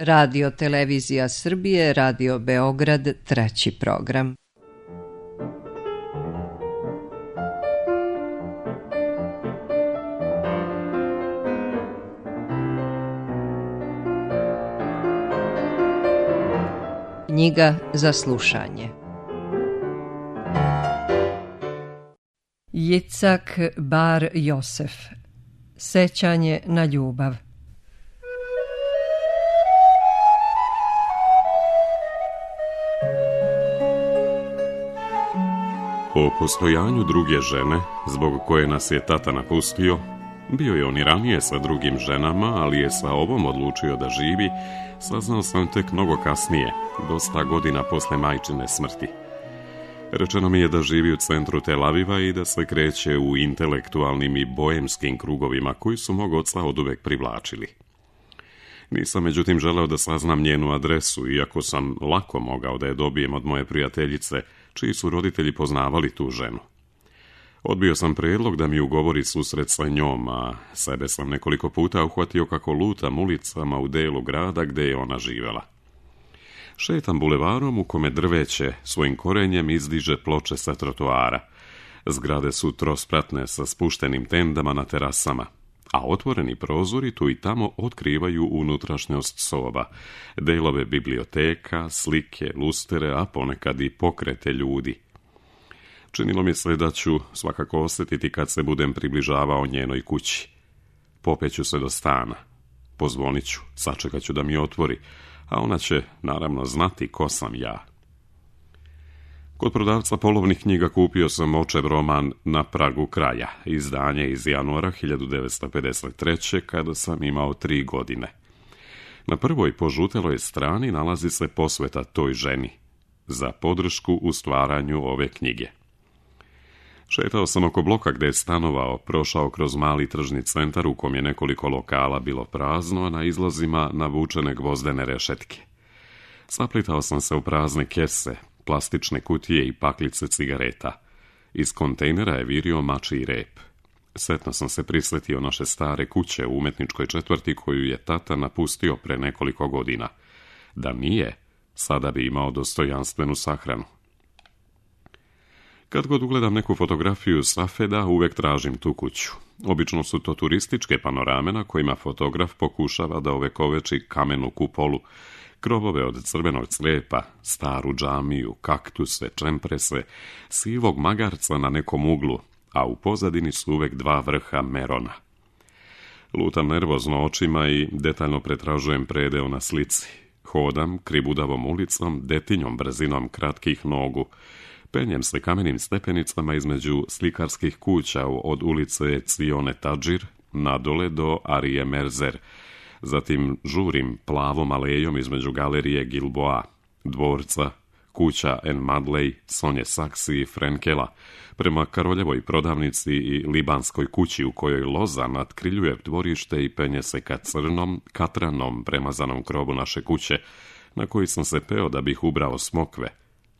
Radio Televizija Srbije, Radio Beograd, treći program. Knjiga za slušanje. Jicak Bar Josef. Sećanje na ljubav. O postojanju druge žene, zbog koje nas je tata napustio, bio je on i ranije sa drugim ženama, ali je sa ovom odlučio da živi, saznao sam tek mnogo kasnije, dosta godina posle majčine smrti. Rečeno mi je da živi u centru Tel Aviva i da se kreće u intelektualnim i boemskim krugovima koji su mog oca oduvek privlačili. Nisam međutim želeo da saznam njenu adresu, iako sam lako mogao da je dobijem od moje prijateljice, čiji su roditelji poznavali tu ženu. Odbio sam prijedlog da mi ugovori susret sa njom, a sebe sam nekoliko puta uhvatio kako lutam ulicama u delu grada gde je ona živela. Šetam bulevarom u kome drveće svojim korenjem izdiže ploče sa trotoara. Zgrade su trospratne sa spuštenim tendama na terasama, a otvoreni prozori tu i tamo otkrivaju unutrašnjost soba, delove biblioteka, slike, lustere, a ponekad i pokrete ljudi. Činilo mi se da ću svakako osjetiti kad se budem približavao njenoj kući. Popeću se do stana, pozvonit ću, sačekat ću da mi otvori, a ona će naravno znati ko sam ja. Kod prodavca polovnih knjiga kupio sam očev roman Na pragu kraja, izdanje iz januara 1953. kada sam imao 3 godine. Na prvoj požuteloj strani nalazi se posveta toj ženi, za podršku u stvaranju ove knjige. Šetao sam oko bloka gde je stanovao, prošao kroz mali tržni centar u kom je nekoliko lokala bilo prazno, a na izlazima navučene gvozdene rešetke. Saplitao sam se u prazne kese, plastične kutije i paklice cigareta. Iz kontejnera je virio mačji rep. Setno sam se prisjetio naše stare kuće u umetničkoj četvrti koju je tata napustio pre nekoliko godina. Da nije, sada bi imao dostojanstvenu sahranu. Kad god ugledam neku fotografiju Safeda, uvek tražim tu kuću. Obično su to turističke panorame na kojima fotograf pokušava da ovekoveči kamenu kupolu, krovove od crvenog crijepa, staru džamiju, kaktuse, čemprese, sivog magarca na nekom uglu, a u pozadini su uvek 2 vrha merona. Lutam nervozno očima i detaljno pretražujem predeo na slici. Hodam kribudavom ulicom, detinjom brzinom kratkih nogu, penjem se kamenim stepenicama između slikarskih kuća od ulice Cione Tadžir nadole do Arije Merzer. Zatim žurim plavom alejom između galerije Gilboa, dvorca, kuća En Madley, Sonje Saksi i Frenkela, prema Karoljevoj prodavnici i libanskoj kući u kojoj loza natkriljuje dvorište i penje se ka crnom, katranom premazanom krovu naše kuće, na koji sam se peo da bih ubrao smokve,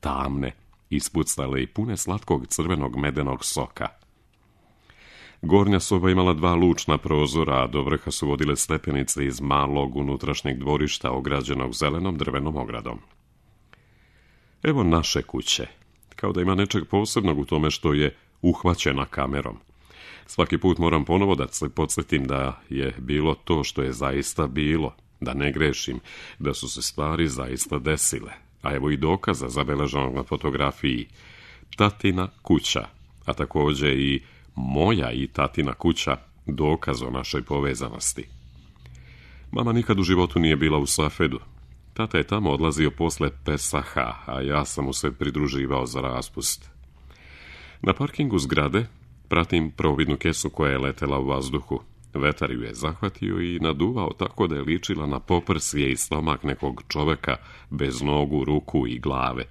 tamne, ispucale i pune slatkog crvenog medenog soka. Gornja soba imala 2 lučna prozora, a do vrha su vodile stepenice iz malog unutrašnjeg dvorišta ograđenog zelenom drvenom ogradom. Evo naše kuće, kao da ima nečeg posebnog u tome što je uhvaćena kamerom. Svaki put moram ponovo da se podsjetim da je bilo to što je zaista bilo, da ne grešim, da su se stvari zaista desile. A evo i dokaza zabeleženog na fotografiji. Tatina kuća, a također i moja i tatina kuća, dokaz o našoj povezanosti. Mama nikad u životu nije bila u Safedu. Tata je tamo odlazio posle Pesaha, a ja sam mu se pridruživao za raspust. Na parkingu zgrade pratim providnu kesu koja je letela u vazduhu. Vetar ju je zahvatio i naduvao tako da je ličila na poprsje i stomak nekog čoveka bez nogu, ruku i glave.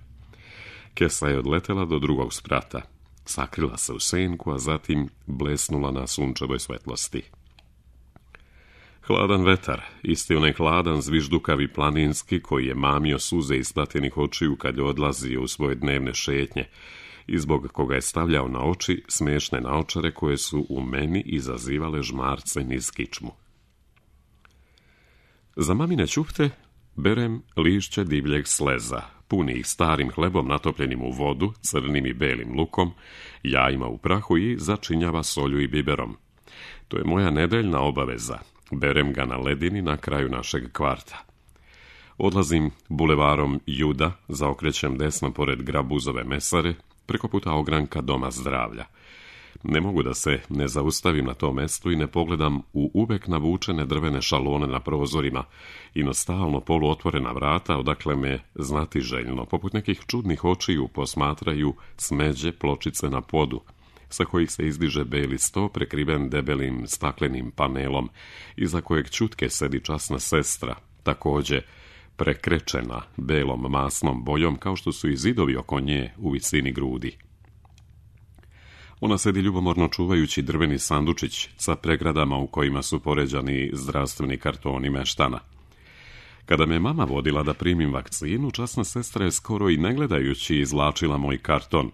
Kesa je odletela do drugog sprata. Sakrila se u senku, a zatim blesnula na sunčevoj svetlosti. Hladan vetar, isti onaj hladan zviždukavi planinski koji je mamio suze iz tatinih očiju kad je odlazio u svoje dnevne šetnje i zbog koga je stavljao na oči smešne naočare koje su u meni izazivale žmarce niz kičmu. Za mamine ćufte Berem lišće divljeg sleza, puni ih starim hlebom natopljenim u vodu, crnim i belim lukom, jajima u prahu i začinjava solju i biberom. To je moja nedeljna obaveza. Berem ga na ledini na kraju našeg kvarta. Odlazim bulevarom Juda, zaokrećem desno pored Grabuzove mesare, preko puta ogranka Doma zdravlja. Ne mogu da se ne zaustavim na tom mestu i ne pogledam u uvek navučene drvene šalone na prozorima i na stalno poluotvorena vrata, odakle me znatiželjno, poput nekih čudnih očiju, posmatraju smeđe pločice na podu, sa kojih se izdiže beli sto prekriven debelim staklenim panelom, iza kojeg ćutke sedi časna sestra, takođe prekrečena belom masnom bojom, kao što su i zidovi oko nje u visini grudi. Ona sedi ljubomorno čuvajući drveni sandučić sa pregradama u kojima su poređani zdravstveni kartoni meštana. Kada me mama vodila da primim vakcinu, časna sestra je skoro i ne gledajući izvlačila moj karton.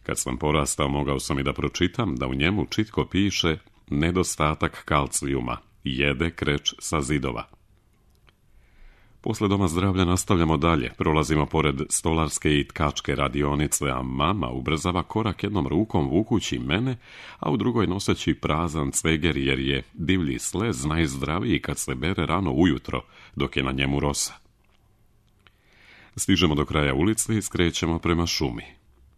Kad sam porastao, mogao sam i da pročitam da u njemu čitko piše nedostatak kalcijuma, jede kreč sa zidova. Posle Doma zdravlja nastavljamo dalje, prolazimo pored stolarske i tkačke radionice, a mama ubrzava korak jednom rukom vukući mene, a u drugoj noseći prazan cveger, jer je divlji slez najzdraviji kad se bere rano ujutro, dok je na njemu rosa. Stižemo do kraja ulice i skrećemo prema šumi.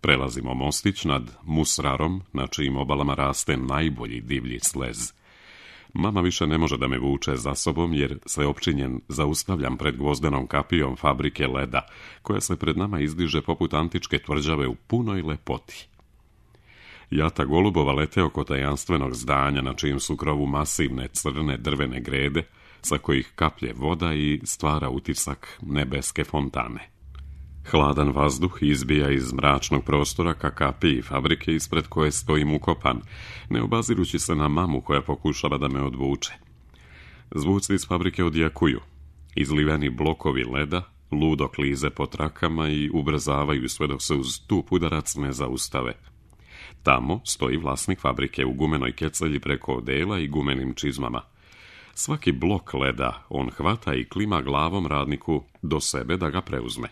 Prelazimo mostić nad Musrarom, na čijim obalama raste najbolji divlji slez. Mama više ne može da me vuče za sobom, jer se opčinjen zaustavljam pred gvozdenom kapijom fabrike leda, koja se pred nama izdiže poput antičke tvrđave u punoj lepoti. Jata golubova lete oko tajanstvenog zdanja, na čijim su krovu masivne crne drvene grede, sa kojih kaplje voda i stvara utisak nebeske fontane. Hladan vazduh izbija iz mračnog prostora ka kapiji fabrike ispred koje stojim ukopan, ne obazirući se na mamu koja pokušava da me odvuče. Zvuci iz fabrike odjakuju. Izliveni blokovi leda ludo klize po trakama i ubrzavaju sve dok se uz tup udarac ne zaustave. Tamo stoji vlasnik fabrike u gumenoj kecelji preko odela i gumenim čizmama. Svaki blok leda on hvata i klima glavom radniku do sebe da ga preuzme.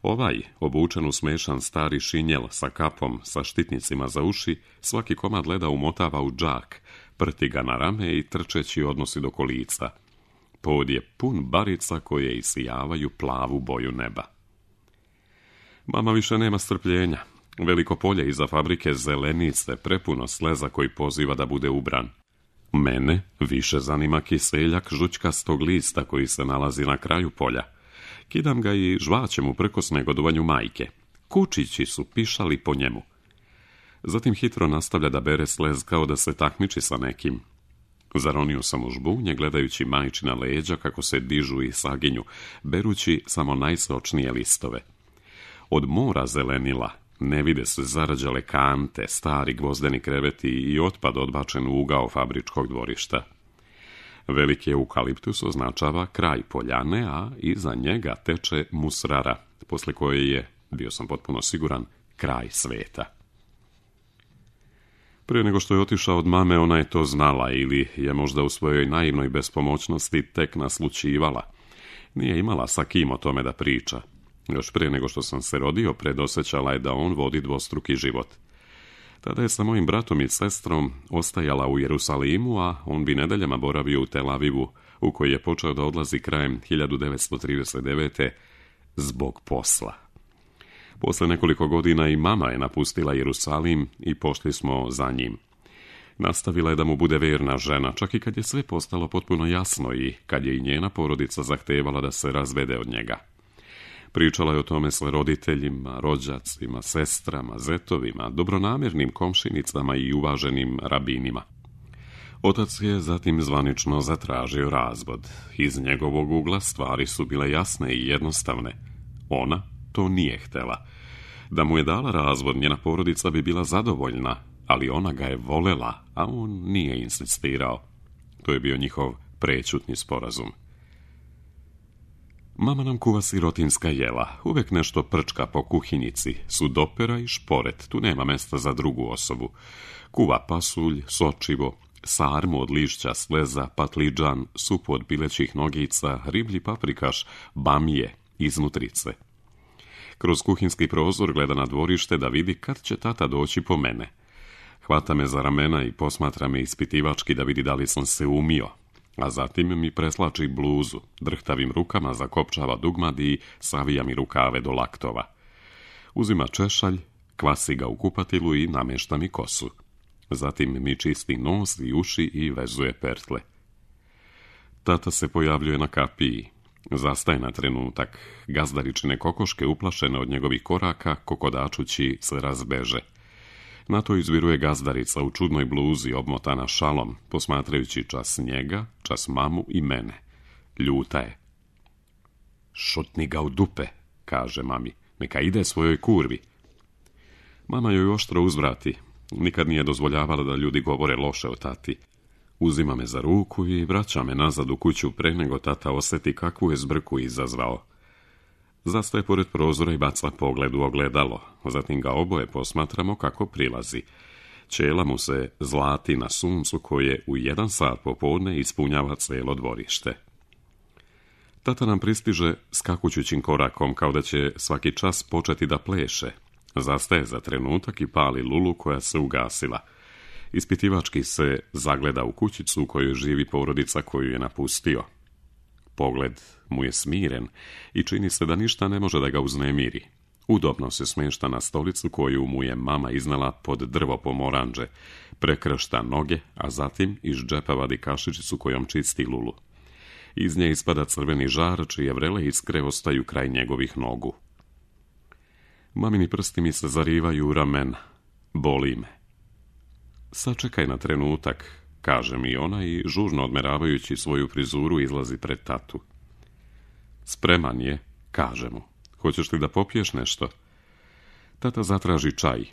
Ovaj, obučen u smešan stari šinjel sa kapom, sa štitnicima za uši, svaki komad leda umotava u džak, prti ga na rame i trčeći odnosi do kolica. Pod je pun barica koje isijavaju plavu boju neba. Mama više nema strpljenja. Veliko polje iza fabrike zelenice, prepuno sleza koji poziva da bude ubran. Mene više zanima kiseljak žućkastog lista koji se nalazi na kraju polja. Kidam ga i žvaćem uprkos negodovanju majke. Kučići su pišali po njemu. Zatim hitro nastavlja da bere slez kao da se takmiči sa nekim. Zaronio sam u žbunje gledajući majčina leđa kako se dižu i saginju, berući samo najsočnije listove. Od mora zelenila ne vide se zarađale kante, stari gvozdeni kreveti i otpad odbačen u ugao fabričkog dvorišta. Veliki eukaliptus označava kraj poljane, a iza njega teče Musrara, posle koje je, bio sam potpuno siguran, kraj sveta. Prije nego što je otišao od mame, ona je to znala ili je možda u svojoj naivnoj bespomoćnosti tek naslućivala. Nije imala sa kim o tome da priča. Još prije nego što sam se rodio, predosjećala je da on vodi dvostruki život. Tada je sa mojim bratom i sestrom ostajala u Jerusalimu, a on bi nedeljama boravio u Tel Avivu, u koji je počeo da odlazi krajem 1939. zbog posla. Posle nekoliko godina i mama je napustila Jerusalim i pošli smo za njim. Nastavila je da mu bude verna žena, čak i kad je sve postalo potpuno jasno i kad je i njena porodica zahtevala da se razvede od njega. Pričala je o tome s roditeljima, rođacima, sestrama, zetovima, dobronamjernim komšinicama i uvaženim rabinima. Otac je zatim zvanično zatražio razvod. Iz njegovog ugla stvari su bile jasne i jednostavne. Ona to nije htela. Da mu je dala razvod, njena porodica bi bila zadovoljna, ali ona ga je volela, a on nije insistirao. To je bio njihov prećutni sporazum. Mama nam kuva sirotinska jela, uvek nešto prčka po kuhinjici, sudopera i šporet, tu nema mesta za drugu osobu. Kuva pasulj, sočivo, sarmu od lišća, sleza, patliđan, supu od pilećih nogica, riblji paprikaš, bamije, iznutrice. Kroz kuhinski prozor gleda na dvorište da vidi kad će tata doći po mene. Hvata me za ramena i posmatra me ispitivački da vidi da li sam se umio, a zatim mi preslači bluzu, drhtavim rukama zakopčava dugmad i savija mi rukave do laktova. Uzima češalj, kvasi ga u kupatilu i namješta mi kosu. Zatim mi čisti nos i uši i vezuje pertle. Tata se pojavljuje na kapiji. Zastaje na trenutak. Gazdaričine kokoške, uplašene od njegovih koraka, kokodačući se razbeže. Na to izviruje gazdarica u čudnoj bluzi, obmotana šalom, posmatrajući čas njega, čas mamu i mene. Ljuta je. Šutni ga u dupe, kaže mami. Neka ide svojoj kurvi. Mama joj oštro uzvrati. Nikad nije dozvoljavala da ljudi govore loše o tati. Uzima me za ruku i vraća me nazad u kuću pre nego tata osjeti kakvu je zbrku izazvao. Zastaje pored prozora i baca pogled u ogledalo. Zatim ga oboje posmatramo kako prilazi. Ćela mu se zlati na suncu koje u 1 sat popodne ispunjava cijelo dvorište. Tata nam pristiže skakućućim korakom kao da će svaki čas početi da pleše. Zastaje za trenutak i pali lulu koja se ugasila. Ispitivački se zagleda u kućicu u kojoj živi porodica koju je napustio. Pogled mu je smiren i čini se da ništa ne može da ga uznemiri. Udobno se smješta na stolicu koju mu je mama iznala pod drvo pomoranđe, prekršta noge, a zatim iz džepa vadi kašičicu kojom čisti lulu. Iz nje ispada crveni žar, čije vrele iskre ostaju kraj njegovih nogu. Mamini prsti mi se zarivaju u ramena. Boli me. Sačekaj na trenutak, kaže mi ona i žurno odmeravajući svoju frizuru izlazi pred tatu. Spreman je, kaže mu. Hoćeš li da popiješ nešto? Tata zatraži čaj.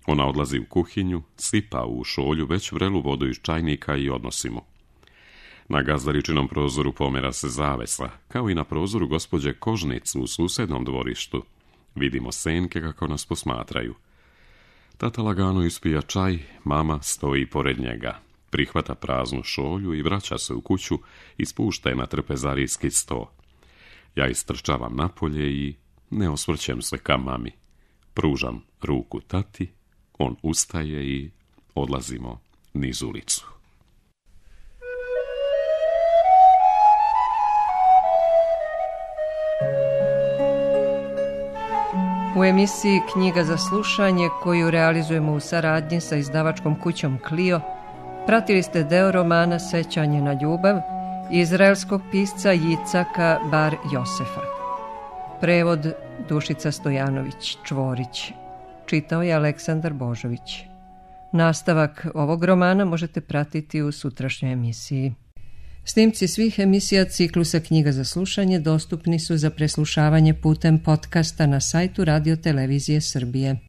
Ona odlazi u kuhinju, sipa u šolju već vrelu vodu iz čajnika i odnosi mu. Na gazdaričinom prozoru pomera se zavesa, kao i na prozoru gospođe Kožnic u susednom dvorištu. Vidimo senke kako nas posmatraju. Tata lagano ispija čaj, mama stoji pored njega. Prihvata praznu šolju i vraća se u kuću i spušta je na trpezarijski sto. Ja istrčavam napolje i ne osvrćem se ka mami. Pružam ruku tati, on ustaje i odlazimo niz ulicu. U emisiji Knjiga za slušanje, koju realizujemo u saradnji sa izdavačkom kućom Clio, pratili ste deo romana Sećanje na ljubav izraelskog pisca Jicaka Bar Josefa. Prevod Dušica Stojanović-Čvorić. Čitao je Aleksandar Božović. Nastavak ovog romana možete pratiti u sutrašnjoj emisiji. Snimci svih emisija ciklusa Knjiga za slušanje dostupni su za preslušavanje putem podcasta na sajtu Radio Televizije Srbije.